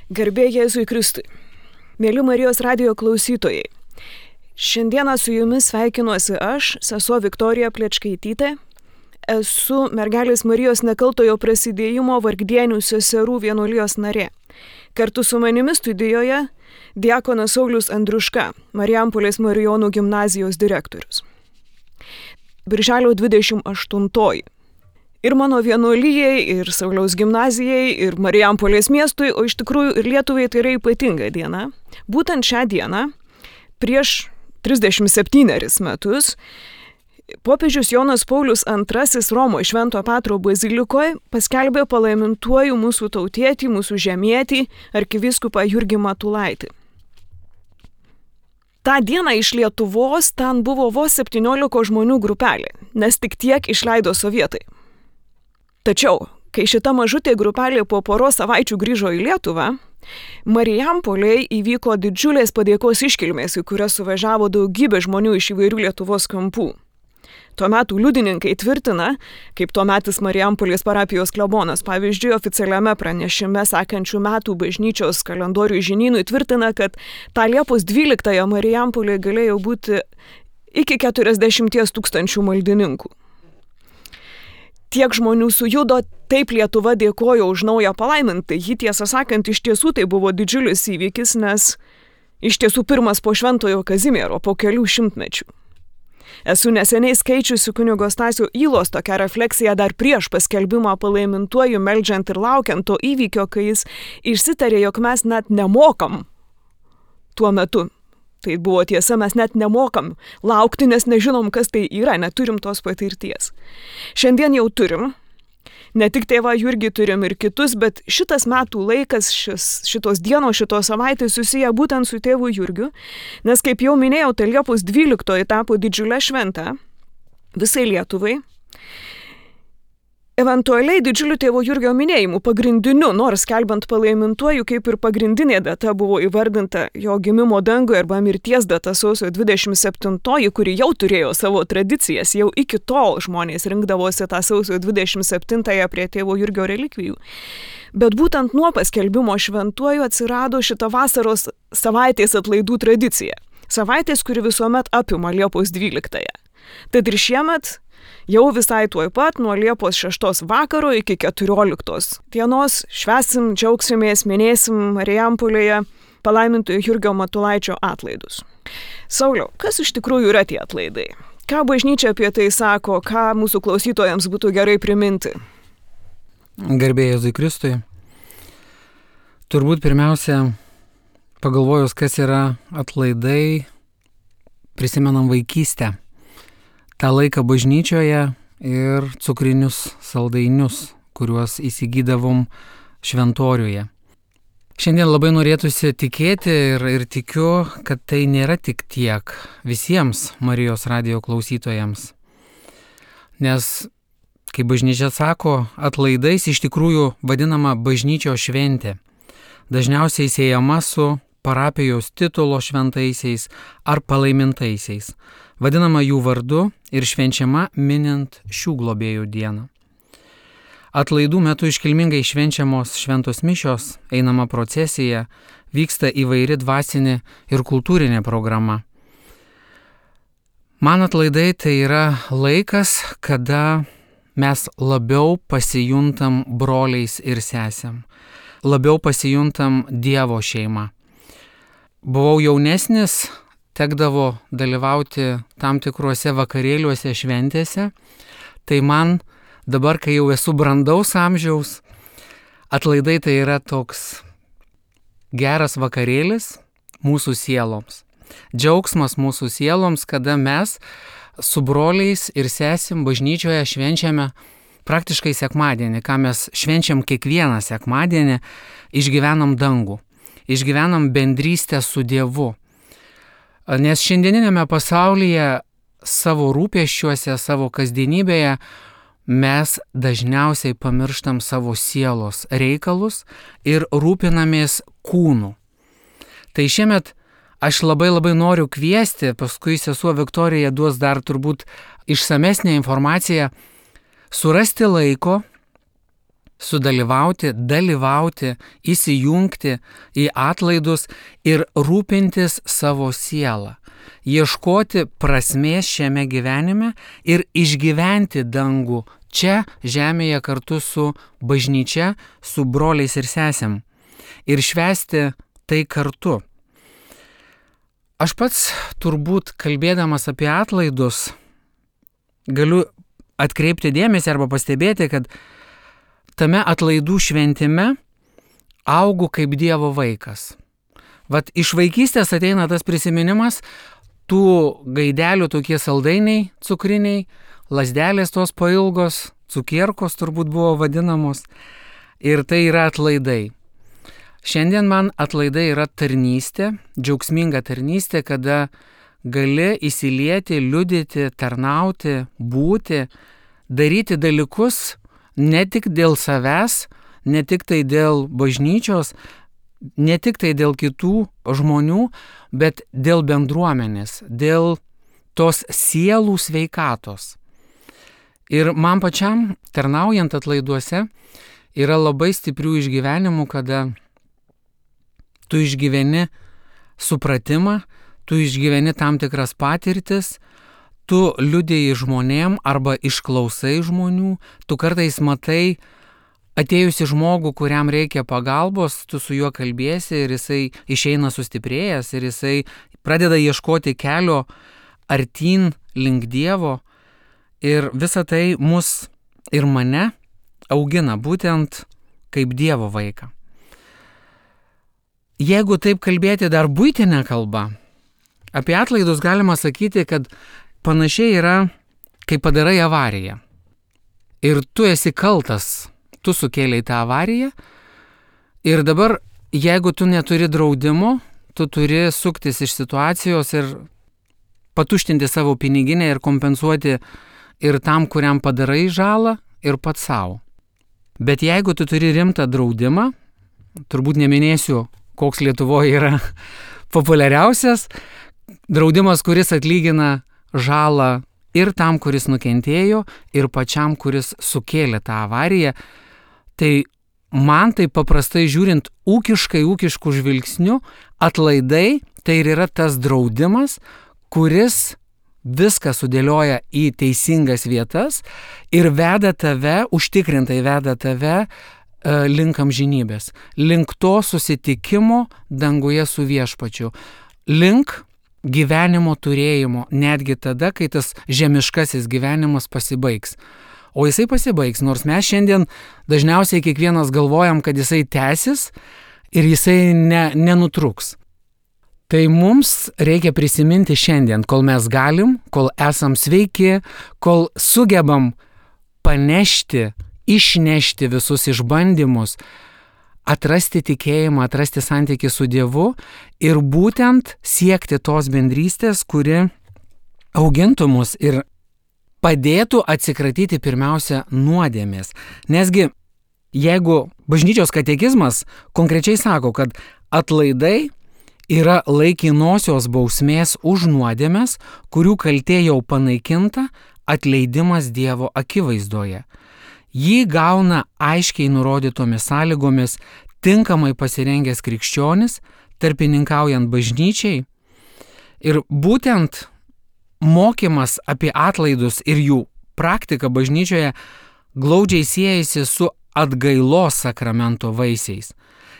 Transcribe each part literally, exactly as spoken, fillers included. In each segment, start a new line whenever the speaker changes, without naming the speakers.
Garbė Jėzui Kristui. Mėly Marijos radijo klausytojai, šiandieną su jumis sveikinuosi aš, sesuo Viktorija Plečkaitytė. Esu mergelės Marijos nekaltojo prasidėjimo Vargdienių seserų vienuolijos narė. Kartu su manimi studijoje diakonas Saulius Andriuška, Marijampolės Marijonų gimnazijos direktorius. Birželio dvidešimt aštuntoji. Ir mano vienuolijai, ir Sauliaus gimnazijai, ir Marijampolės miestui, o iš tikrųjų ir Lietuvai tai yra ypatinga diena. Būtent šią dieną, prieš trisdešimt septynerius metus, popiežius Jonas Paulius antrasis Romo Švento Petro bazilikoje paskelbė palaimintuoju mūsų tautietį, mūsų žemietį, arkivyskupą Jurgį Matulaitį. Ta diena iš Lietuvos ten buvo vos septyniolika žmonių grupelė, nes tik tiek išleido sovietai. Tačiau, kai šita mažutė grupelė po poros savaičių grįžo į Lietuvą, Marijampolėje įvyko didžiulės padėkos iškilmės, į kurias suvažiavo daugybė žmonių iš įvairių Lietuvos kampų. Tuo metu liudininkai tvirtina, kaip tuometis Marijampolės parapijos klebonas, pavyzdžiui, oficialiame pranešime sekančių metų bažnyčios kalendorių žinynui tvirtina, kad tą Liepos dvyliktąją Marijampolėje galėjo būti iki keturiasdešimties tūkstančių maldininkų. Tiek žmonių sujudo, taip Lietuva dėkojo už naują palaimintą. Jį tiesą sakant, iš tiesų tai buvo didžiulis įvykis, nes iš tiesų pirmas po Šventojo Kazimiero, po kelių šimtmečių. Esu neseniai skaičiusi kunigo Stasio Ylos tokią refleksiją dar prieš paskelbimą palaimintuoju, meldžiant ir laukiant to įvykio, kai jis išsitarė, jog mes net nemokam tuo metu. Tai buvo tiesa, mes net nemokam laukti, nes nežinom, kas tai yra, neturim tos patirties. Šiandien jau turim, ne tik tėvą Jurgį turim ir kitus, bet šitas metų laikas, šis, šitos dienos, šitos savaitės susiję būtent su tėvu Jurgiu, nes kaip jau minėjau, tai Liepos dvyliktoji tapo didžiulė šventė visai Lietuvai. Eventualiai didžiuliu tėvo Jurgio minėjimu pagrindiniu, nors skelbiant palaimintuoju, kaip ir pagrindinė data buvo įvardinta jo gimimo danguje arba mirties data sausio dvidešimt septintoji, kuri jau turėjo savo tradicijas, jau iki tol žmonės rinkdavosi tą sausio dvidešimt septintąją prie tėvo Jurgio relikvijų. Bet būtent nuo paskelbimo šventuoju atsirado šita vasaros savaitės atlaidų tradicija. Savaitės, kuri visuomet apima Liepos dvyliktąją. Tad ir šiemet jau visai tuoj pat nuo Liepos šeštos vakaro iki keturioliktos dienos švęsim, džiaugsimės, minėsim Marijampolėje palaimintojo Jurgio Matulaičio atlaidus. Sauliau, kas iš tikrųjų yra tie atlaidai? Ką bažnyčia apie tai sako, ką mūsų klausytojams būtų gerai priminti?
Garbė Jėzui Kristui. Turbūt pirmiausia, pagalvojus, kas yra atlaidai, prisimenam vaikystę. tą laiką bažnyčioje ir cukrinius saldainius, kuriuos įsigydavom šventoriuje. Šiandien labai norėtųsi tikėti ir, ir tikiu, kad tai nėra tik tiek visiems Marijos radijo klausytojams. Nes, kaip bažnyčia sako, atlaidais iš tikrųjų vadinama bažnyčios šventė. Dažniausiai siejama su parapijos titulo šventaisiais ar palaimintaisiais. Vadinama jų vardu ir švenčiama minint šių globėjų dieną. Atlaidų metu iškilmingai švenčiamos šventos mišios, einama procesija, vyksta įvairi dvasinė ir kultūrinė programa. Man atlaidai tai yra laikas, kada mes labiau pasijuntam broliais ir sesėm, labiau pasijuntam Dievo šeima. Buvau jaunesnis, tekdavo dalyvauti tam tikruose vakarėliuose šventėse, tai man dabar, kai jau esu brandaus amžiaus, atlaidai tai yra toks geras vakarėlis mūsų sieloms. Džiaugsmas mūsų sieloms, kada mes su broliais ir sesim bažnyčioje švenčiame praktiškai sekmadienį, ką mes švenčiam kiekvieną sekmadienį, išgyvenam dangų, išgyvenam bendrystę su Dievu. Nes šiandieninėme pasaulyje savo rūpesčiuose, savo kasdienybėje mes dažniausiai pamirštam savo sielos reikalus ir rūpinamės kūnu. Tai šiemet aš labai labai noriu kviesti, paskui sesuo Viktorija duos dar turbūt išsamesnę informaciją, surasti laiko sudalyvauti, dalyvauti, įsijungti į atlaidus ir rūpintis savo sielą, ieškoti prasmės šiame gyvenime ir išgyventi dangų čia žemėje kartu su bažnyčia, su broliais ir sesėm ir švęsti tai kartu. Aš pats turbūt kalbėdamas apie atlaidus galiu atkreipti dėmesį arba pastebėti, kad tame atlaidų šventime augu kaip Dievo vaikas. Vat iš vaikystės ateina tas prisiminimas, tų gaidelių tokie saldainiai cukriniai, lazdelės tos pailgos, cukierkos turbūt buvo vadinamos, ir tai yra atlaidai. Šiandien man atlaidai yra tarnystė, džiaugsminga tarnystė, kada gali įsilieti, liudyti, tarnauti, būti, daryti dalykus ne tik dėl savęs, ne tik tai dėl bažnyčios, ne tik tai dėl kitų žmonių, bet dėl bendruomenės, dėl tos sielų sveikatos. Ir man pačiam, tarnaujant atlaiduose, yra labai stiprių išgyvenimų, kada tu išgyveni supratimą, tu išgyveni tam tikras patirtis, tu liudiji žmonėm arba išklausai žmonių, tu kartais matai atėjusi žmogų, kuriam reikia pagalbos, tu su juo kalbėsi ir jisai išeina sustiprėjęs ir jisai pradeda ieškoti kelio artyn link Dievo ir visa tai mus ir mane augina būtent kaip Dievo vaiką. Jeigu taip kalbėti dar buitinę kalbą, apie atlaidus galima sakyti, kad panašiai yra, kai padarai avariją. Ir tu esi kaltas, tu sukėlei tą avariją. Ir dabar, jeigu tu neturi draudimo, tu turi suktis iš situacijos ir patuštinti savo piniginę ir kompensuoti ir tam, kuriam padarai žalą, ir pats savo. Bet jeigu tu turi rimtą draudimą, turbūt neminėsiu, koks Lietuvoje yra populiariausias, draudimas, kuris atlygina žalą ir tam, kuris nukentėjo, ir pačiam, kuris sukėlė tą avariją, tai man tai paprastai žiūrint ūkiškai, ūkiškų žvilgsnių, atlaidai tai ir yra tas draudimas, kuris viską sudėlioja į teisingas vietas ir veda tave, užtikrintai veda tave link amžinybės, link to susitikimo danguje su viešpačiu, link gyvenimo turėjimo, netgi tada, kai tas žemiškasis gyvenimas pasibaigs. O jisai pasibaigs, nors mes šiandien dažniausiai kiekvienas galvojam, kad jisai tęsis ir jisai ne, nenutruks. Tai mums reikia prisiminti šiandien, kol mes galim, kol esam sveiki, kol sugebam panešti, išnešti visus išbandymus, atrasti tikėjimą, atrasti santykį su Dievu ir būtent siekti tos bendrystės, kuri augintų mus ir padėtų atsikratyti pirmiausia nuodėmės. Nesgi, jeigu bažnyčios katekizmas konkrečiai sako, kad atlaidai yra laikinosios bausmės už nuodėmes, kurių kaltė jau panaikinta, atleidimas Dievo akivaizdoje. Jį gauna aiškiai nurodytomis sąlygomis tinkamai pasirengęs krikščionis, tarpininkaujant bažnyčiai. Ir būtent mokymas apie atlaidus ir jų praktika bažnyčioje glaudžiai siejasi su atgailos sakramento vaisiais.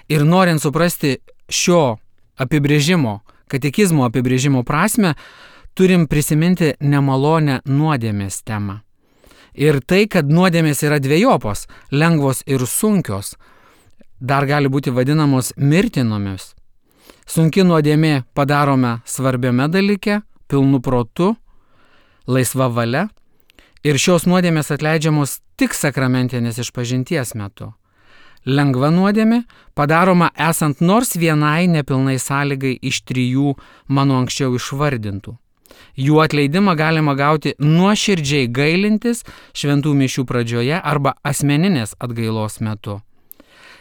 Ir norint suprasti šio apibrėžimo, katekizmo apibrėžimo prasme, turim prisiminti nemalonę nuodėmės temą. Ir tai, kad nuodėmės yra dvejopos, lengvos ir sunkios, dar gali būti vadinamos mirtinomis. Sunki nuodėmė padarome svarbiame dalyke, pilnu protu, laisva valia, ir šios nuodėmės atleidžiamos tik sakramentinės išpažinties metu. Lengva nuodėmė padaroma esant nors vienai nepilnai sąlygai iš trijų mano anksčiau išvardintų. Jų atleidimą galima gauti nuoširdžiai gailintis šventų mišių pradžioje arba asmeninės atgailos metu.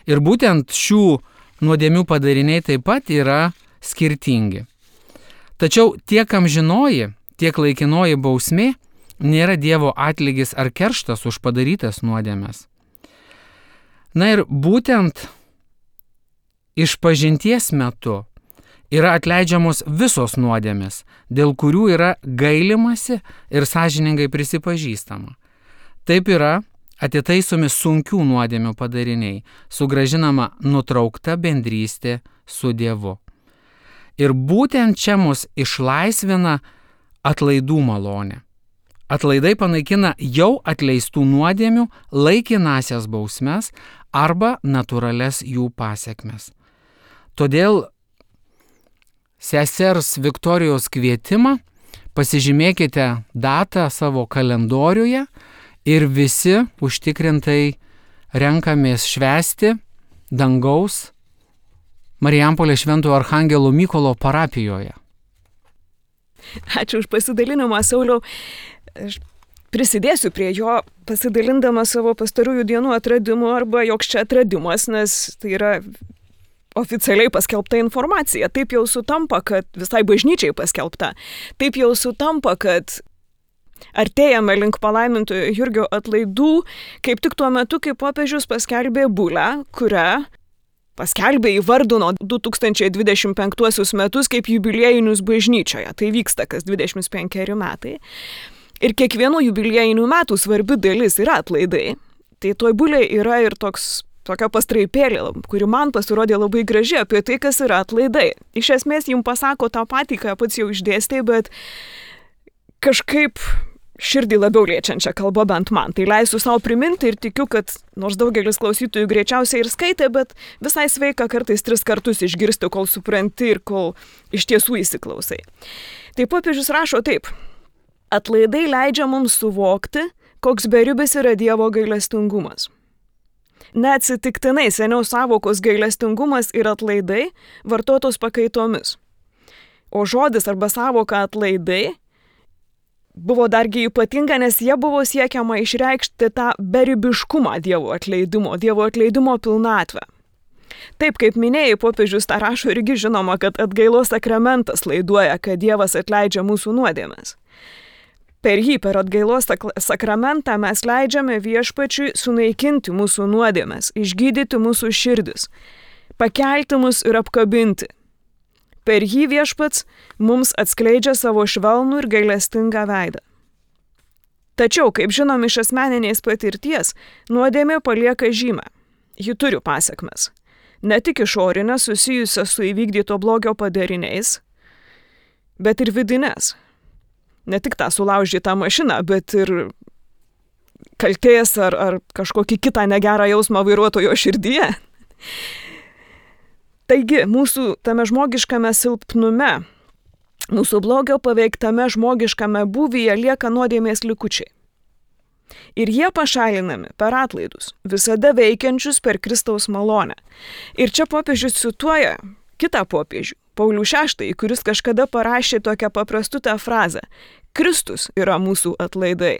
Ir būtent šių nuodėmių padariniai taip pat yra skirtingi. Tačiau tiek amžinoji, tiek laikinoji bausmė nėra Dievo atlygis ar kerštas už padarytas nuodėmes. Na ir būtent išpažinties metu yra atleidžiamos visos nuodėmės, dėl kurių yra gailimasi ir sąžiningai prisipažįstama. Taip yra atitaisomi sunkių nuodėmių padariniai, sugrąžinama nutraukta bendrystė su Dievu. Ir būtent čia mus išlaisvina atlaidų malonė. Atlaidai panaikina jau atleistų nuodėmių laikinasias bausmes arba natūrales jų pasekmes. Todėl sesers Viktorijos kvietimą pasižymėkite datą savo kalendoriuje ir visi užtikrintai renkamės švęsti dangaus Marijampolės Šventojo Archangelo Mykolo parapijoje.
Ačiū už pasidalinimą, Sauliau. Aš prisidėsiu prie jo, pasidalindama savo pastarųjų dienų atradimu, arba joks čia atradimas, nes tai yra oficialiai paskelbta informacija. Taip jau sutampa, kad visai bažnyčiai paskelbta. Taip jau sutampa, kad artėjame link palaimintojo Jurgio atlaidų, kaip tik tuo metu, kai popiežius paskelbė bulę, kurią paskelbė įvardino du tūkstančiai dvidešimt penktuosius metus kaip jubiliejinius bažnyčioje. Tai vyksta kas dvidešimt penkeri metai. Ir kiekvienų jubiliejinių metų svarbi dalis yra atlaidai. Tai toj bulėje yra ir toks, tokia pastraipėlė, kuri man pasirodė labai graži apie tai, kas yra atlaidai. Iš esmės jums pasako tą patį, ką pats jau išdėstė, bet kažkaip širdį labiau liečiančią kalbą bent man. Tai leisiu savo priminti ir tikiu, kad nors daugelis klausytojų greičiausiai ir skaitė, bet visai sveika kartais tris kartus išgirsti, kol supranti ir kol iš tiesų įsiklausai. Tai popiežius rašo taip. Atlaidai leidžia mums suvokti, koks beribis yra Dievo gailestingumas. Neatsitiktinai seniau sąvokos gailestingumas ir atlaidai vartotos pakaitomis. O žodis arba sąvoka atlaidai buvo dargi ypatinga, nes jie buvo siekiama išreikšti tą beribiškumą Dievo atleidimo, Dievo atleidimo pilnatvę. Taip, kaip minėjai, popiežius tą rašo irgi žinoma, kad atgailos sakramentas laiduoja, kad Dievas atleidžia mūsų nuodėmes. Per jį, per atgailos sakramentą mes leidžiame viešpačiui sunaikinti mūsų nuodėmes, išgydyti mūsų širdis, pakelti mus ir apkabinti. Per jį viešpats mums atskleidžia savo švelnų ir gailestingą veidą. Tačiau, kaip žinom iš asmeninės patirties, nuodėmė palieka žymę. Ji turi pasekmes. Ne tik išorinės susijusias su įvykdyto blogio padariniais, bet ir vidinės. Ne tik tą sulaužytą mašiną, bet ir kaltės ar, ar kažkokį kitą negerą jausmą vairuotojo širdyje. Taigi, mūsų tame žmogiškame silpnume, mūsų blogio paveiktame žmogiškame būvyje lieka nuodėmės likučiai. Ir jie pašalinami per atlaidus, visada veikiančius per Kristaus malonę. Ir čia popiežius cituoja kitą popiežių, Paulių šeštąjį, kuris kažkada parašė tokią paprastutę frazę: Kristus yra mūsų atlaidai.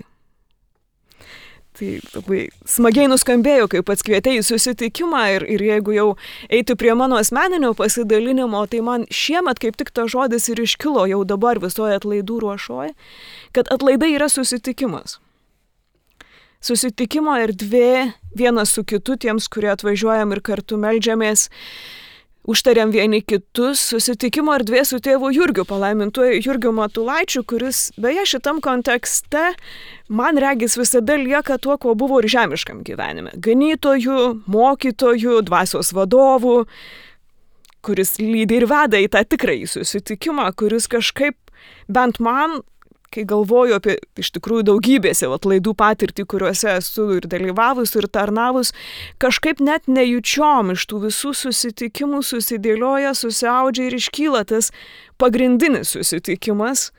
Tai labai smagiai nuskambėjo, kaip pats kvietei į susitikimą ir, ir jeigu jau eiti prie mano asmeninio pasidalinimo, tai man šiemet kaip tik tas žodis ir iškilo jau dabar visoje atlaidų ruošoje, kad atlaidai yra susitikimas. Susitikimo erdvė vienas su kitu tiems, kurie atvažiuojam ir kartu meldžiamės, užtariam vieni kitus, susitikimo erdvė su tėvu Jurgiu, palaimintuoju Jurgiu Matulaičiu, kuris beje šitam kontekste man regis visada lieka tuo, kuo buvo ir žemiškam gyvenime. Ganytoju, mokytoju, dvasios vadovu, kuris lydi ir veda į tą tikrąjį susitikimą, kuris kažkaip bent man, kai galvoju apie iš tikrųjų daugybės jau atlaidų patirtį, kuriuose esu ir dalyvavus, ir tarnavus, kažkaip net nejučiom iš tų visų susitikimų susidėlioja, susiaudžia ir iškyla tas pagrindinis susitikimas,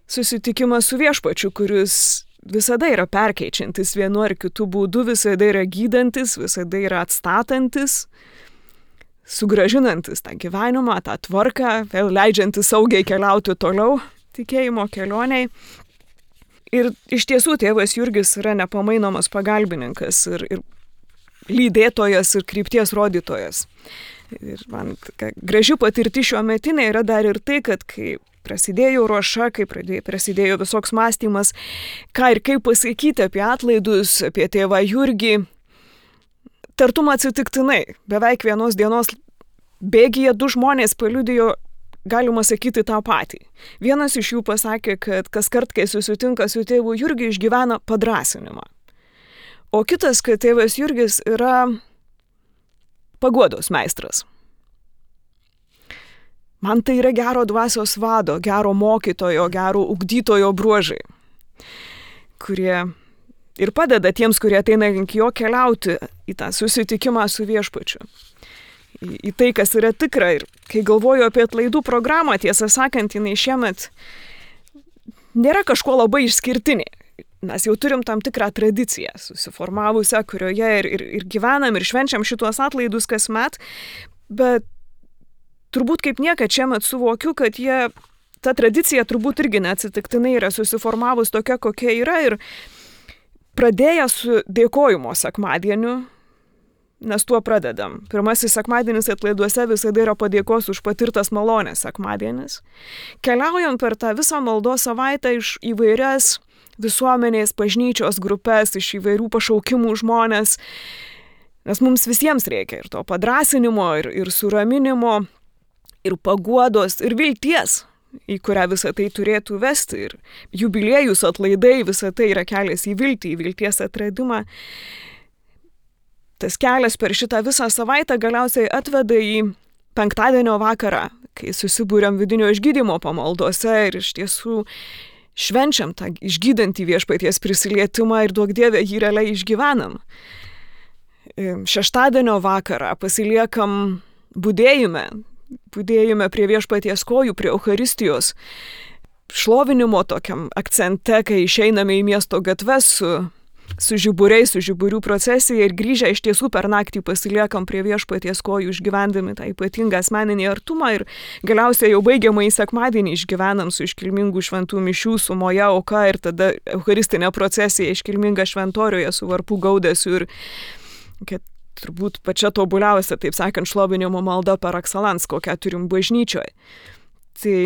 susitikimas su viešpačiu, kuris visada yra perkeičiantis vienu ar kitu būdu, visada yra gydantis, visada yra atstatantis, sugrąžinantis tą gyvenimą, tą tvarką, vėl leidžiantis saugiai keliauti toliau tikėjimo kelioniai. Ir iš tiesų tėvas Jurgis yra nepamainomas pagalbininkas ir, ir lydėtojas ir krypties rodytojas. Ir man graži patirti šiuo metinė yra dar ir tai, kad kai prasidėjo ruoša, kai prasidėjo visoks mąstymas, ką ir kaip pasakyti apie atlaidus, apie tėvą Jurgį, tartum atsitiktinai, beveik vienos dienos bėgyje du žmonės paliudijo, galima sakyti, tą patį. Vienas iš jų pasakė, kad kas kart, kai susitinka su tėvu Jurgiu, išgyvena padrąsinimą. O kitas, kad tėvas Jurgis yra paguodos meistras. Man tai yra gero dvasios vado, gero mokytojo, gero ugdytojo bruožai, kurie ir padeda tiems, kurie ateina link jo, keliauti į tą susitikimą su viešpačiu. Į, į tai, kas yra tikra. Ir kai galvoju apie atlaidų programą, tiesą sakant, jinai šiemet nėra kažko labai išskirtinė. Mes jau turim tam tikrą tradiciją susiformavusią, kurioje ir, ir, ir gyvenam, ir švenčiam šituos atlaidus kasmet, bet turbūt kaip niekad šiemet suvokiu, kad jie, ta tradicija turbūt irgi neatsitiktinai yra susiformavus tokia, kokia yra, ir pradėję su dėkojimo sekmadieniu, nes tuo pradedam. Pirmasis sekmadienis atlaiduose visada yra padėkos už patirtas malonės sekmadienis. Keliaujam per tą visą maldos savaitę iš įvairias visuomenės, bažnyčios grupės, iš įvairių pašaukimų žmonės, nes mums visiems reikia ir to padrąsinimo, ir, ir suraminimo, ir paguodos, ir vilties, į kurią visą tai turėtų vesti. Ir jubiliejus, atlaidai, visą tai yra kelias į viltį, į vilties atradimą. Tas kelias per šitą visą savaitę galiausiai atveda į penktadienio vakarą, kai susibūrėm vidinio išgydymo pamaldose ir iš tiesų švenčiam tą išgydantį viešpaties prisilietimą ir duok Dieve jį realiai išgyvenam. Šeštadienio vakarą pasiliekam budėjime, budėjime prie viešpaties kojų, prie Eucharistijos, šlovinimo tokiam akcente, kai išeiname į miesto gatves su, su žiburiais, su žiburių procesija ir grįžę iš tiesų per naktį pasiliekam prie viešpaties kojų, išgyvendami tą ypatingą asmeninį artumą ir galiausiai jau baigiamąjį sekmadienį išgyvenam su iškilmingų šventų mišių, su moja auka ir tada eucharistinė procesija iškilminga šventoriuje su varpų gaudesiu ir kad turbūt pačia tobuliausia, taip sakant, šlovinimo malda par excellence, kokią turim bažnyčioje. Tai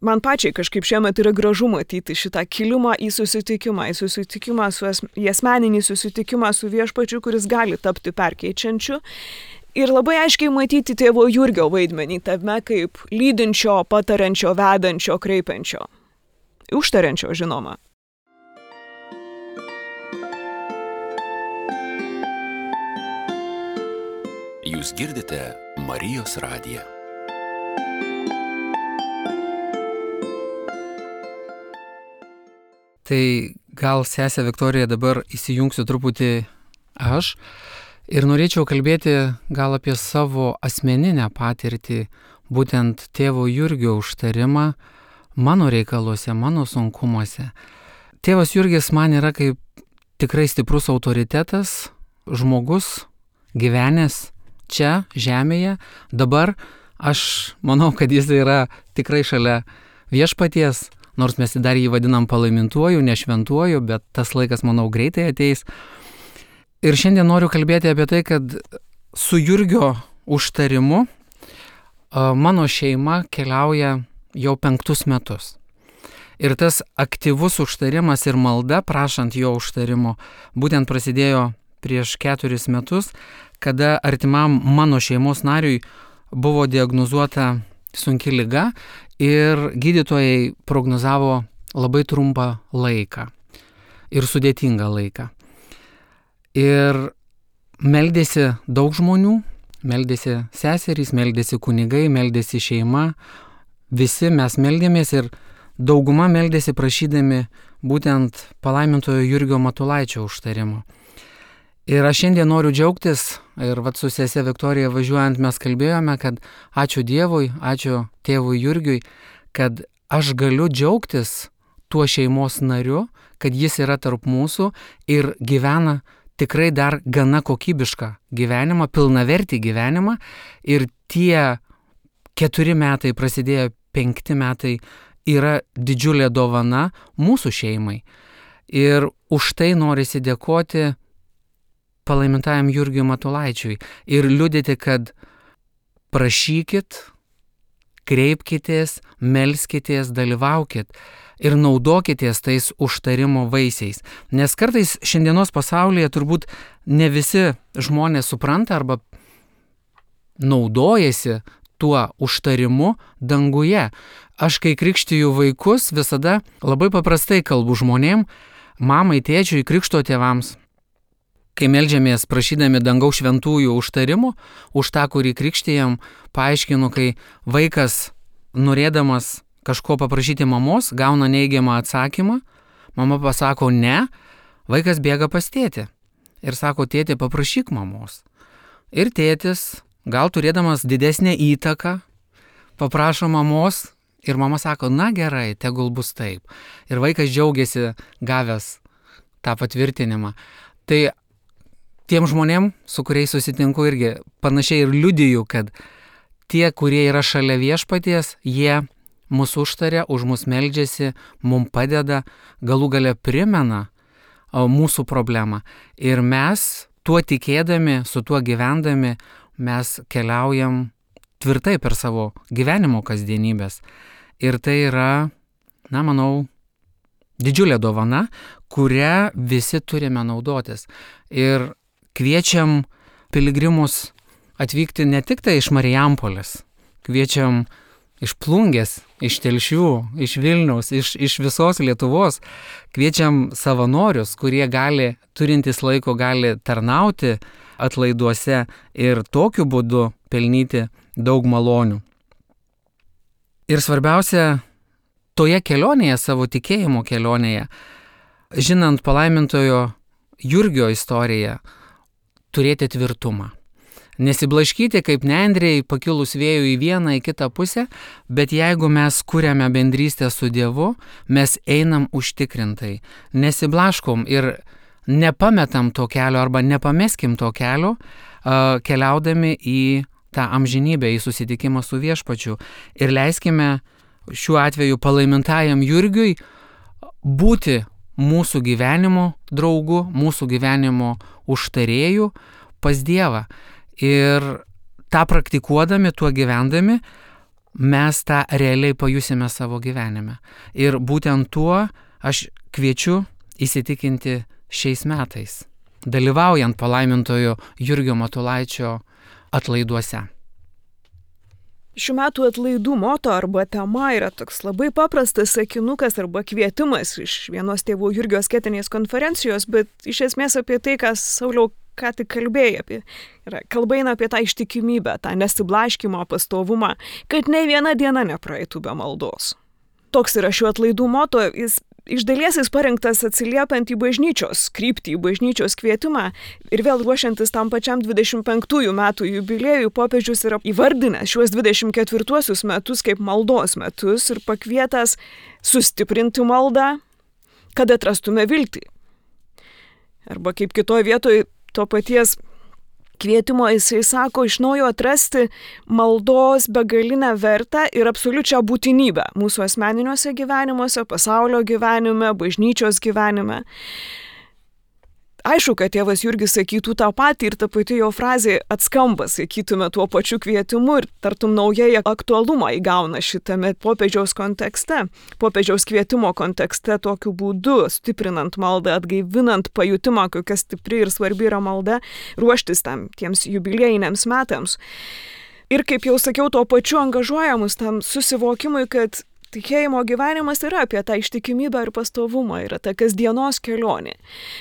man pačiai kažkaip šiemet yra gražu matyti šitą kilimą į susitikimą, į susitikimą, su es, į asmeninį susitikimą su viešpačiu, kuris gali tapti perkeičiančiu. Ir labai aiškiai matyti tėvo Jurgio vaidmenį tame kaip lydinčio, patariančio, vedančio, kreipiančio. Užtariančio, žinoma.
Jūs girdite Marijos radiją.
Tai gal, sesė Viktorija, dabar įsijungsiu truputį aš ir norėčiau kalbėti gal apie savo asmeninę patirtį, būtent tėvo Jurgio užtarimą mano reikaluose, mano sunkumuose. Tėvas Jurgis man yra kaip tikrai stiprus autoritetas, žmogus, gyvenęs čia, žemėje. Dabar aš manau, kad jis yra tikrai šalia viešpaties, nors mes dar jį vadinam palaimintuoju, nešventuoju, bet tas laikas, manau, greitai ateis. Ir šiandien noriu kalbėti apie tai, kad su Jurgio užtarimu mano šeima keliauja jau penktus metus. Ir tas aktyvus užtarimas ir malda, prašant jo užtarimo, būtent prasidėjo prieš keturis metus, kada artimam mano šeimos nariui buvo diagnozuota sunki liga ir gydytojai prognozavo labai trumpą laiką ir sudėtingą laiką. Ir meldėsi daug žmonių, meldėsi seserys, meldėsi kunigai, meldėsi šeima, visi mes meldėmės ir dauguma meldėsi prašydami būtent palaimintojo Jurgio Matulaičio užtarimo. Ir aš šiandien noriu džiaugtis, ir vat su sese Viktorija važiuojant mes kalbėjome, kad ačiū Dievui, ačiū tėvui Jurgiui, kad aš galiu džiaugtis tuo šeimos nariu, kad jis yra tarp mūsų ir gyvena tikrai dar gana kokybišką gyvenimą, pilnavertį gyvenimą. Ir tie keturi metai, prasidėjo penkti metai, yra didžiulė dovana mūsų šeimai. Ir už tai norisi dėkoti palaimintajam Jurgiui Matulaičiui ir liudyti, kad prašykit, kreipkitės, melskitės, dalyvaukit ir naudokitės tais užtarimo vaisiais. Nes kartais šiandienos pasaulyje turbūt ne visi žmonės supranta arba naudojasi tuo užtarimu danguje. Aš kai krikštiju vaikus, visada labai paprastai kalbu žmonėm, mamai, tėčiui, krikšto tėvams. Kai meldžiamės prašydami dangaus šventųjų užtarimų, už tą, kurį krikštijam, paaiškinu, kai vaikas norėdamas kažko paprašyti mamos, gauna neigiamą atsakymą, mama pasako ne, vaikas bėga pas tėtį ir sako, tėtė, paprašyk mamos. Ir tėtis, gal turėdamas didesnę įtaką, paprašo mamos ir mama sako, na gerai, tegul bus taip. Ir vaikas džiaugiasi gavęs tą patvirtinimą. Tai tiem žmonėm, su kuriais susitinku irgi panašiai ir liudiju, kad tie, kurie yra šalia viešpaties, jie mus užtaria, už mus meldžiasi, mums padeda, galų gale primena mūsų problemą. Ir mes, tuo tikėdami, su tuo gyvendami, mes keliaujam tvirtai per savo gyvenimo kasdienybės. Ir tai yra, na, manau, didžiulė dovana, kurią visi turime naudotis. Ir kviečiam piligrimus atvykti ne tik tai iš Marijampolės, kviečiam iš Plungės, iš Telšių, iš Vilniaus, iš, iš visos Lietuvos, kviečiam savanorius, kurie gali, turintys laiko, gali tarnauti atlaiduose ir tokiu būdu pelnyti daug malonių. Ir svarbiausia, toje kelionėje, savo tikėjimo kelionėje, žinant palaimintojo Jurgio istoriją, turėti tvirtumą. Nesiblaškyti kaip nendrėjai pakilus vėjų į vieną, į kitą pusę, bet jeigu mes kuriame bendrystę su Dievu, mes einam užtikrintai, nesiblaškom ir nepametam to kelio arba nepameskim to kelio, keliaudami į tą amžinybę, į susitikimą su viešpačiu. Ir leiskime šiuo atveju palaimintajam Jurgiui būti mūsų gyvenimo draugu, mūsų gyvenimo užtarėjų pas Dievą. Ir tą praktikuodami, tuo gyvendami, mes tą realiai pajusime savo gyvenime. Ir būtent tuo aš kviečiu įsitikinti šiais metais, dalyvaujant palaimintojo Jurgio Matulaičio atlaiduose.
Šių metų atlaidų moto arba tema yra toks labai paprastas sakinukas arba kvietimas iš vienos tėvų Jurgio asketinės konferencijos, bet iš esmės apie tai, ką Sauliau ką tik kalbėjai apie. Yra, kalba eina apie tą ištikimybę, tą nesiblaškimo pastovumą, kad nei viena diena nepraeitų be maldos. Toks yra šių atlaidų moto, jis iš dalies jis parengtas atsiliepiant į bažnyčios kryptį, į bažnyčios kvietimą ir vėl ruošiantis tam pačiam dvidešimt penktųjų metų jubiliejui, popiežius yra įvardinęs šiuos dvidešimt ketvirtuosius metus kaip maldos metus ir pakvietęs sustiprinti maldą, kad atrastume viltį. Arba kaip kitoje vietoje to paties kvietimo jisai sako iš naujo atrasti maldos begalinę vertę ir absoliučią būtinybę mūsų asmeniniuose gyvenimuose, pasaulio gyvenime, bažnyčios gyvenime. Aišku, kad tėvas Jurgis sakytų tą patį ir ta pati jo frazė atskamba, sakytume, tuo pačiu kvietimu ir tartum naujai aktualumą įgauna šitame popiežiaus kontekste, popiežiaus kvietimo kontekste tokiu būdu, stiprinant maldą, atgaivinant pajutimą, kokia stipri ir svarbi yra malda, ruoštis tam tiems jubiliejiniams metams. Ir kaip jau sakiau, tuo pačiu angažuojamus tam susivokimui, kad tikėjimo gyvenimas yra apie tą ištikimybę ir pastovumą, yra ta kasdienos kelionė.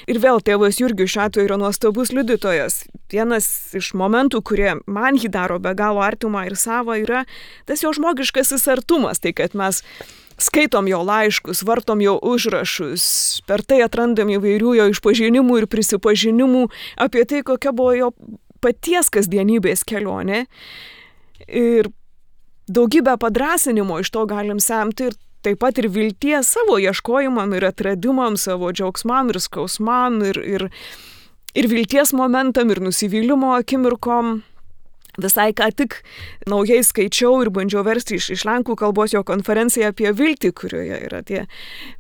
Ir vėl tėvas Jurgis šiuo atveju yra nuostabus liudytojas. Vienas iš momentų, kurie man jį daro be galo artimą ir savą, yra tas jo žmogiškasis artumas, tai kad mes skaitom jo laiškus, vartom jo užrašus, per tai atrandam įvairių jo išpažinimų ir prisipažinimų apie tai, kokia buvo jo paties kasdienybės kelionė. Ir daugybę padrąsinimo iš to galim semti ir taip pat ir vilties savo ieškojimam ir atradimam, savo džiaugsmam ir skausmam ir, ir, ir vilties momentam ir nusivylimo akimirkom. Visai ką tik naujai skaičiau ir bandžiau versti iš, iš lenkų kalbos jo konferenciją apie viltį, kurioje yra tie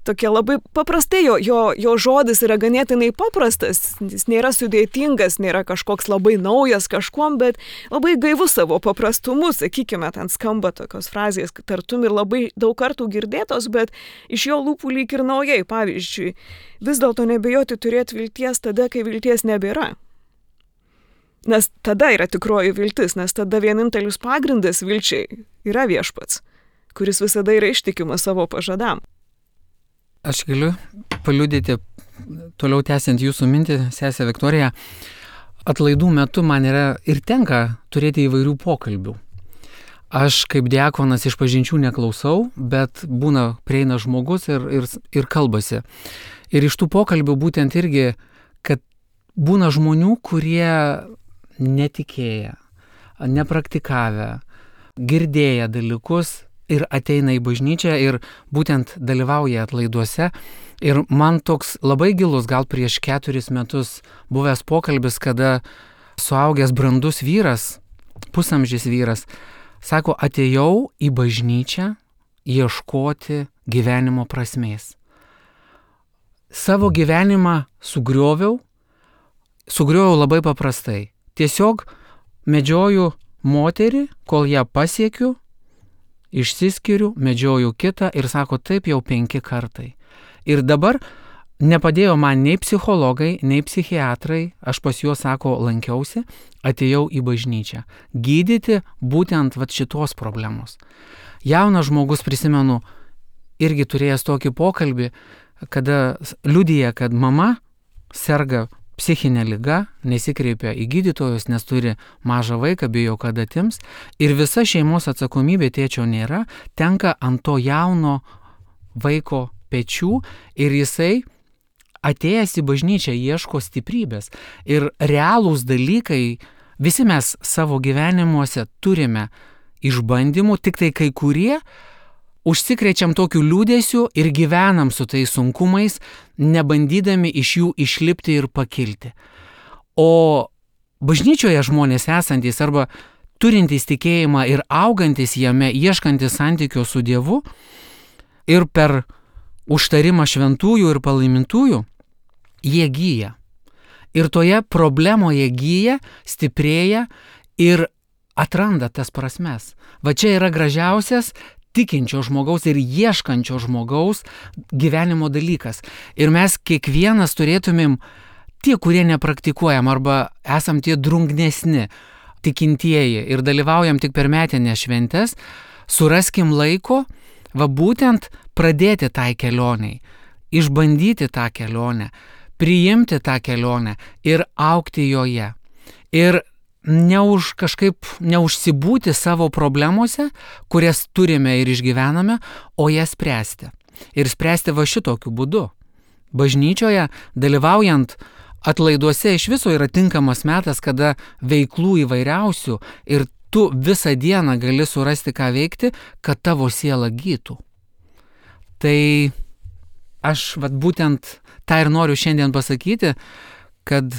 tokie labai paprastai, jo, jo, jo žodis yra ganėtinai paprastas, jis nėra sudėtingas, nėra kažkoks labai naujas kažkuom, bet labai gaivus savo paprastumu, sakykime, ten skamba tokios frazės, tartum ir labai daug kartų girdėtos, bet iš jo lūpų lyg ir naujai, pavyzdžiui, vis dėlto nebijoti turėti vilties tada, kai vilties nebėra. Nes tada yra tikroji viltis, nes tada vienintelis pagrindas vilčiai yra Viešpats, kuris visada yra ištikimas savo pažadam.
Aš galiu paliudyti, toliau tęsiant jūsų mintį, sesė Viktorija, atlaidų metu man yra ir tenka turėti įvairių pokalbių. Aš kaip diakonas iš pažinčių neklausau, bet būna prieina žmogus ir, ir, ir kalbasi. Ir iš tų pokalbių būtent irgi, kad būna žmonių, kurie netikėję, nepraktikavę, girdėję dalykus ir ateina į bažnyčią ir būtent dalyvauja atlaiduose. Ir man toks labai gilus, gal prieš keturis metus buvęs pokalbis, kada suaugęs brandus vyras, pusamžis vyras, sako, atėjau į bažnyčią ieškoti gyvenimo prasmės. Savo gyvenimą sugrioviau, sugrioviau labai paprastai. Tiesiog medžioju moterį, kol ją pasiekiu, išsiskiriu, medžioju kitą ir sako, taip jau penki kartai. Ir dabar nepadėjo man nei psichologai, nei psichiatrai, aš pas juos, sako, lankiausi, atėjau į bažnyčią. Gydyti būtent vat šitos problemos. Jaunas žmogus, prisimenu, irgi turėjęs tokį pokalbį, kada liudija, kad mama serga psichinė liga, nesikreipia į gydytojus, nes turi mažą vaiką, bijo, kad atims. Ir visa šeimos atsakomybė, tėčio nėra, tenka ant to jauno vaiko pečių ir jisai atėjęs į bažnyčią ieško stiprybės. Ir realūs dalykai, visi mes savo gyvenimuose turime išbandymų, tik tai kai kurie užsikrečiam tokiu liūdėsiu ir gyvenam su tais sunkumais, nebandydami iš jų išlipti ir pakilti. O bažnyčioje žmonės esantys arba turintys tikėjimą ir augantis jame, ieškantis santykio su Dievu ir per užtarimą šventųjų ir palaimintųjų, jie gyja. Ir toje problemoje gyja, stiprėja ir atranda tas prasmes. Va čia yra gražiausias tikinčio žmogaus ir ieškančio žmogaus gyvenimo dalykas. Ir mes kiekvienas turėtumėm, tie, kurie nepraktikuojam arba esam tie drungnesni tikintieji ir dalyvaujam tik per metinės šventes, suraskim laiko, va būtent pradėti tai kelioniai, išbandyti tą kelionę, priimti tą kelionę ir augti joje. Ir neuž kažkaip neužsibūti savo problemose, kurias turime ir išgyvename, o jas spręsti. Ir spręsti va šitokiu būdu. Bažnyčioje, dalyvaujant atlaiduose, iš viso yra tinkamas metas, kada veiklų įvairiausių ir tu visą dieną gali surasti, ką veikti, kad tavo siela gytų. Tai aš vat būtent tą ir noriu šiandien pasakyti, kad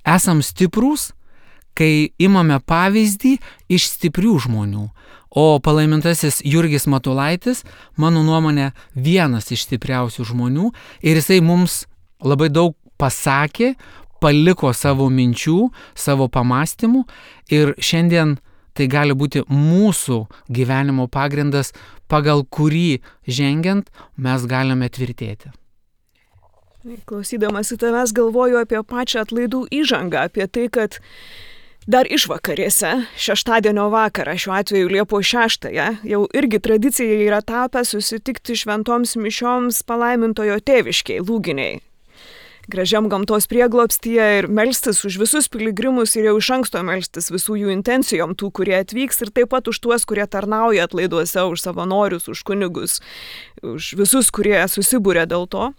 esam stiprūs, kai imame pavyzdį iš stiprių žmonių. O palaimintasis Jurgis Matulaitis, mano nuomonė, vienas iš stipriausių žmonių ir jisai mums labai daug pasakė, paliko savo minčių, savo pamastymų ir šiandien tai gali būti mūsų gyvenimo pagrindas, pagal kurį žengiant mes galime tvirtėti.
Klausydamas į tavęs galvoju apie pačią atlaidų įžangą, apie tai, kad dar išvakarėse, šeštadienio vakarą, šiuo atveju Liepos šeštąją, jau irgi tradicija yra tapę susitikti šventoms mišioms palaimintojo tėviškiai, Lūginiai. Gražiam gamtos prieglobstyje ir melstis už visus piligrimus ir jau iš anksto melstis visų jų intencijom, tų, kurie atvyks ir taip pat už tuos, kurie tarnauja atlaiduose, už savanorius, už kunigus, už visus, kurie susibūrė dėl to.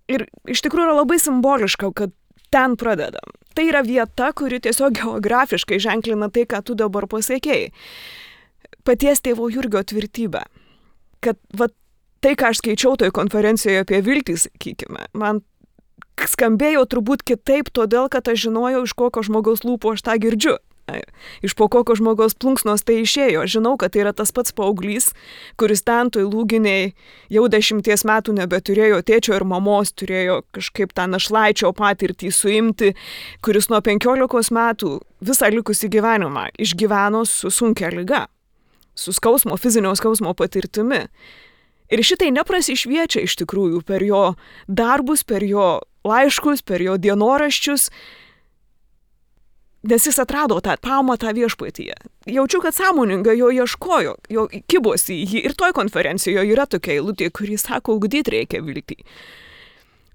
Ir iš tikrųjų yra labai simboliška, kad ten pradedam. Tai yra vieta, kuri tiesiog geografiškai ženklina tai, ką tu dabar pasakėjai. Paties tėvo Jurgio tvirtybę. Kad va, tai, ką aš skaičiau toj konferencijoje apie viltį, sakykime, man skambėjo turbūt kitaip, todėl kad aš žinojau, iš kokio žmogaus lūpų aš tą girdžiu. Iš po kokio žmogaus plunksnos tai išėjo. Žinau, kad tai yra tas pats paauglys, kuris ten toj Lūginėj jau dešimties metų nebeturėjo tėčio ir mamos, turėjo kažkaip tą našlaičio patirtį suimti, kuris nuo penkiolikos metų visą likusį gyvenimą išgyveno su sunkia liga, su skausmo, fizinio skausmo patirtimi. Ir šitai neprasišviečia iš tikrųjų per jo darbus, per jo laiškus, per jo dienoraščius, nes jis atrado tą pamatą viešpatyje. Jaučiu, kad sąmoningai jo ieškojo, jo kibosi į jį. Ir toj konferencijoje yra tokia eilutė, kuri sako, ugdyti reikia viltį.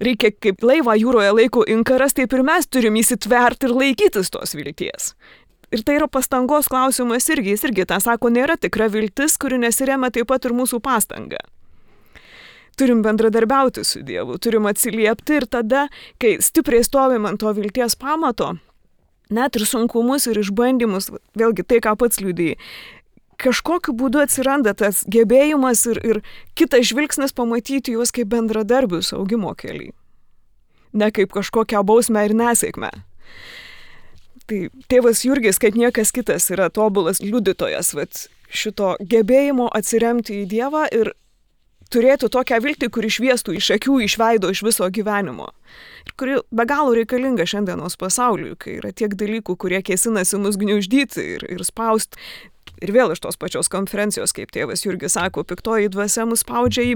Reikia kaip laivą jūroje laiko inkaras, taip ir mes turim įsitverti ir laikytis tos vilties. Ir tai yra pastangos klausimas irgi. Jis irgi tą sako, nėra tikra viltis, kuri nesiremia taip pat ir mūsų pastanga. Turim bendradarbiauti su Dievu, turim atsiliepti ir tada, kai stipriai stovim ant to vilties pamato, net ir sunkumus ir išbandymus, vėlgi tai, ką pats liudijai, kažkokiu būdu atsiranda tas gebėjimas ir, ir kitas žvilgsnis pamatyti juos kaip bendradarbius augimo keliai. Ne kaip kažkokią bausmę ir nesėkmę. Tai tėvas Jurgis, kaip niekas kitas, yra tobulas liudytojas vat, šito gebėjimo atsiremti į Dievą ir turėtų tokią viltį, kuri šviestų iš akių, iš veido, iš viso gyvenimo. Ir kuri be galo reikalinga šiandienos pasauliui, kai yra tiek dalykų, kurie kėsinasi mus gniuždyti ir, ir spausti. Ir vėl iš tos pačios konferencijos, kaip tėvas Jurgis sako, piktoji dvasia mus spaudžia į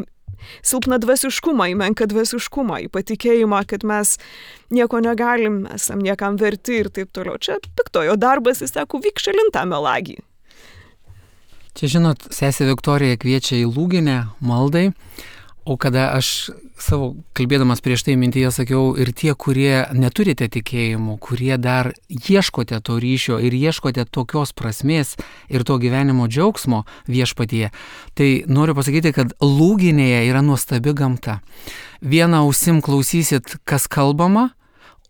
silpną dvasiškumą, į menką dvasiškumą, į patikėjimą, kad mes nieko negalim, esam niekam verti ir taip toliau. Čia piktojo darbas, jis sako, vyk šalin tą melagį.
Čia, žinot, sesė Viktorija kviečia į Lūginę maldai, o kada aš savo kalbėdamas prieš tai mintyje sakiau, ir tie, kurie neturite tikėjimų, kurie dar ieškote to ryšio ir ieškote tokios prasmės ir to gyvenimo džiaugsmo viešpatyje, tai noriu pasakyti, kad Lūginėje yra nuostabi gamta. Vieną ausim klausysit, kas kalbama,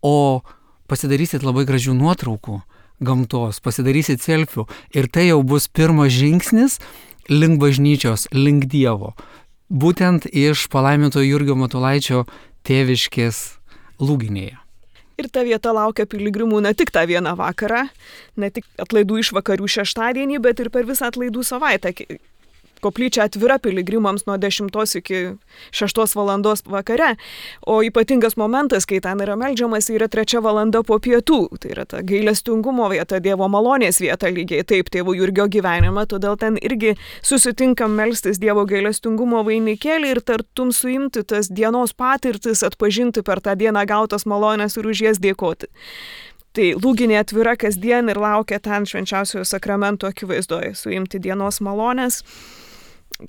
o pasidarysit labai gražių nuotraukų gamtos, pasidarysit selfių ir tai jau bus pirmas žingsnis link bažnyčios, link Dievo. Būtent iš palaiminto Jurgio Matulaičio tėviškės Lūginėje.
Ir ta vieta laukia piligrimų ne tik tą vieną vakarą, ne tik atlaidų išvakarių šeštadienį, bet ir per visą atlaidų savaitę. Koplyčia atvira piligrimams nuo dešimtos iki šeštos valandos vakare, o ypatingas momentas, kai ten yra meldžiamas, yra trečia valanda po pietų. Tai yra ta gailestingumo vieta, Dievo malonės vieta lygiai taip tėvo Jurgio gyvenimą, todėl ten irgi susitinkam melstis Dievo gailestingumo vainikėlį ir tartum suimti tas dienos patirtis, atpažinti per tą dieną gautas malonės ir už jas dėkoti. Tai Lūginė atvira kasdien ir laukia ten švenčiausiojo sakramento akivaizdoje suimti dienos malonės.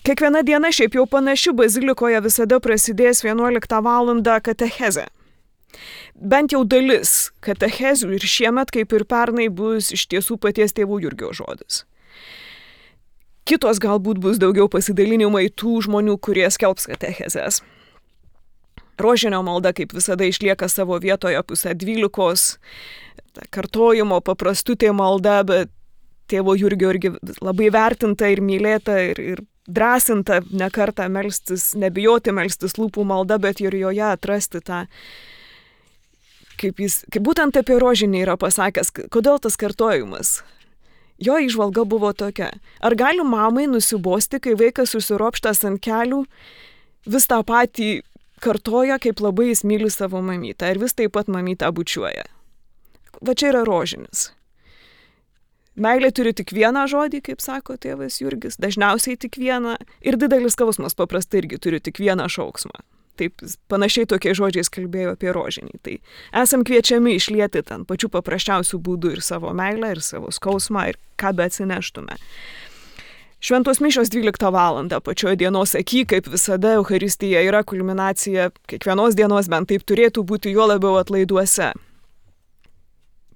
Kiekviena diena šiaip jau panaši, bazilikoje visada prasidės vienuoliktą valandą katechezė. Bent jau dalis katechezių ir šiemet, kaip ir pernai, bus iš tiesų paties tėvų Jurgio žodis. Kitos galbūt bus daugiau pasidalinimai tų žmonių, kurie skelbs katechezės. Rožinio malda, kaip visada, išlieka savo vietoje pusę dvylikos, kartojimo paprastutė malda, bet tėvo Jurgio irgi labai vertinta ir mylėta ir, ir drąsinta ne kartą melstis, nebijoti melstis lūpų malda, bet ir joje atrasti tą, kaip jis, kaip būtent apie rožinį yra pasakęs, kodėl tas kartojimas. Jo įžvalga buvo tokia, ar gali mamai nusibosti, kai vaikas susiropštas ant kelių, vis tą patį kartoja, kaip labai jis myli savo mamytą ir vis taip pat mamytą bučiuoja. Va čia yra rožinis. Meilė turi tik vieną žodį, kaip sako tėvas Jurgis, dažniausiai tik vieną, ir didelis skausmas paprastai irgi turi tik vieną šauksmą. Taip, panašiai tokiais žodžiais kalbėjo apie rožinį. Tai esam kviečiami išlieti ten pačių paprasčiausių būdų ir savo meilę, ir savo skausmą, ir ką be atsineštume. Šventos mišios dvyliktą valandą pačioje dienos aky, kaip visada, Eucharistija yra kulminacija kiekvienos dienos, bent taip turėtų būti, juo labiau atlaiduose.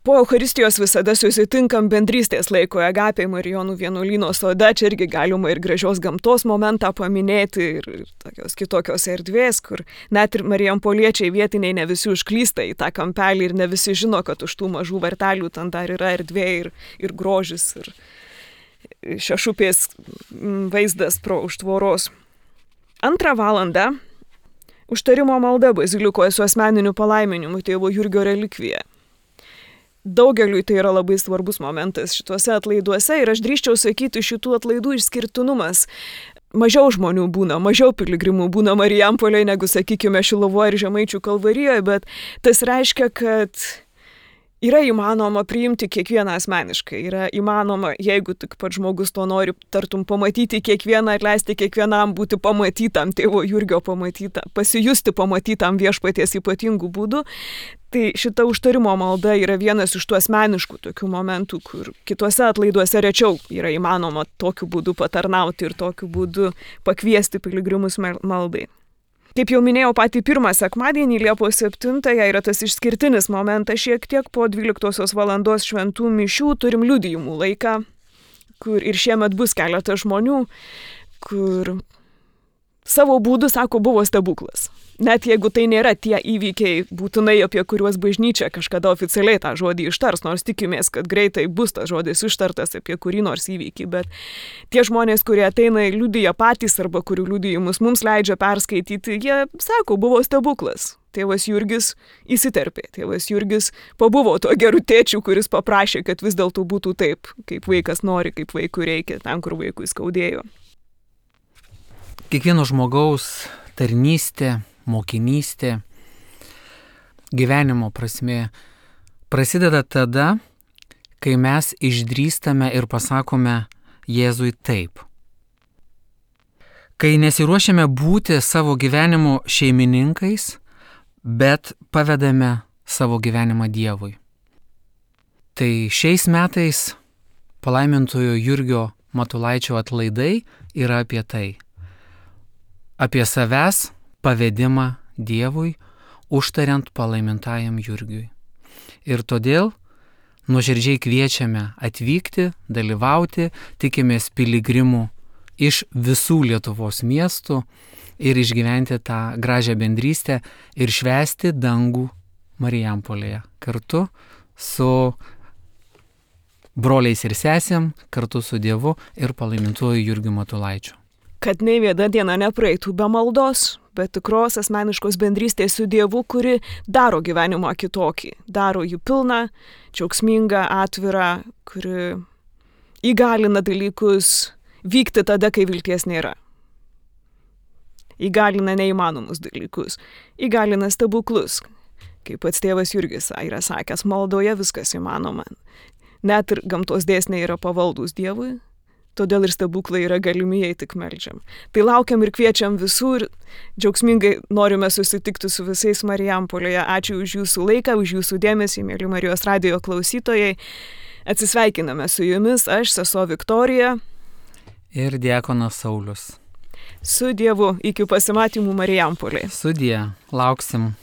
Po Eucharistijos visada susitinkam bendrystės laiko Agapėj Marijonų vienuolyno sode, čia irgi galima ir gražios gamtos momentą paminėti ir, ir tokios kitokios erdvės, kur net ir marijampoliečiai vietiniai ne visi užklysta į tą kampelį ir ne visi žino, kad už tų mažų vartelių ten dar yra erdvė ir, ir grožis ir šešupės vaizdas pro už tvoros. Antrą valandą Užtarimo malda bazilikoje su asmeniniu palaiminimu tėvo Jurgio relikvija. Daugeliui tai yra labai svarbus momentas šituose atlaiduose ir aš drįsčiau sakyti, šitų atlaidų išskirtinumas. Mažiau žmonių būna, mažiau piligrimų būna Marijampolėje negu, sakykime, Šilovoje ir Žemaičių Kalvarijoje, bet tas reiškia, kad yra įmanoma priimti kiekvieną asmeniškai, yra įmanoma, jeigu tik pats žmogus to nori, tartum pamatyti kiekvieną, atleisti kiekvienam, būti pamatytam, tėvo Jurgio pamatytam, pasijusti pamatytam viešpaties ypatingų būdų. Tai šita užtarimo malda yra vienas iš tų asmeniškų tokių momentų, kur kituose atlaiduose rečiau yra įmanoma tokiu būdu patarnauti ir tokiu būdu pakviesti piligrimus maldai. Kaip jau minėjau, patį pirmą sekmadienį, Liepos septintąją, yra tas išskirtinis momentas, šiek tiek po dvyliktosios valandos šventų mišių turim liudijimų laiką, kur ir šiemet bus keletas žmonių, kur savo būdu, sako, buvo stebuklas. Net jeigu tai nėra tie įvykiai būtinai, apie kuriuos bažnyčia kažkada oficialiai tą žodį ištars, nors tikimės, kad greitai bus tas žodis ištartas apie kurį nors įvykį, bet tie žmonės, kurie ateina ir liudija patys arba kurių liudijimus mums leidžia perskaityti, jie sako, buvo stebuklas. Tėvas Jurgis įsiterpė, tėvas Jurgis pabuvo tuo geru tėčiu, kuris paprašė, kad vis dėlto būtų taip, kaip vaikas nori, kaip vaikui reikia, ten, kur vaikui skaudėjo.
Kiekvieno žmogaus tarnystė, mokinystė, gyvenimo prasmė prasideda tada, kai mes išdrįstame ir pasakome Jėzui taip. Kai nesiruošiame būti savo gyvenimo šeimininkais, bet pavedame savo gyvenimą Dievui. Tai šiais metais palaimintojo Jurgio Matulaičio atlaidai yra apie tai. Apie savęs pavedimą Dievui, užtariant palaimintajam Jurgiui. Ir todėl nuoširdžiai kviečiame atvykti, dalyvauti, tikimės piligrimų iš visų Lietuvos miestų ir išgyventi tą gražią bendrystę ir švęsti dangų Marijampolėje kartu su broliais ir sesėm, kartu su Dievu ir palaimintuoju Jurgiu Matulaičiu.
Kad nei viena diena nepraeitų be maldos, bet tikros asmeniškos bendrystės su Dievu, kuri daro gyvenimą kitokį, daro jį pilną, džiaugsmingą, atvirą, kuri įgalina dalykus vykti tada, kai vilties nėra. Įgalina neįmanomus dalykus, įgalina stebuklus. Kaip pats tėvas Jurgis yra sakęs, maldoje viskas įmanoma. Net ir gamtos dėsniai yra pavaldūs Dievui. Todėl ir stebuklai yra galimi, jei tik meldžiam. Tai laukiam ir kviečiam visur, džiaugsmingai norime susitikti su visais Marijampolėje. Ačiū už jūsų laiką, už jūsų dėmesį, mėly Marijos radijo klausytojai. Atsisveikiname su jumis, aš, sesuo Viktorija.
Ir diakonas Saulius.
Su Dievu, iki pasimatymų Marijampolėje.
Sudie, lauksim.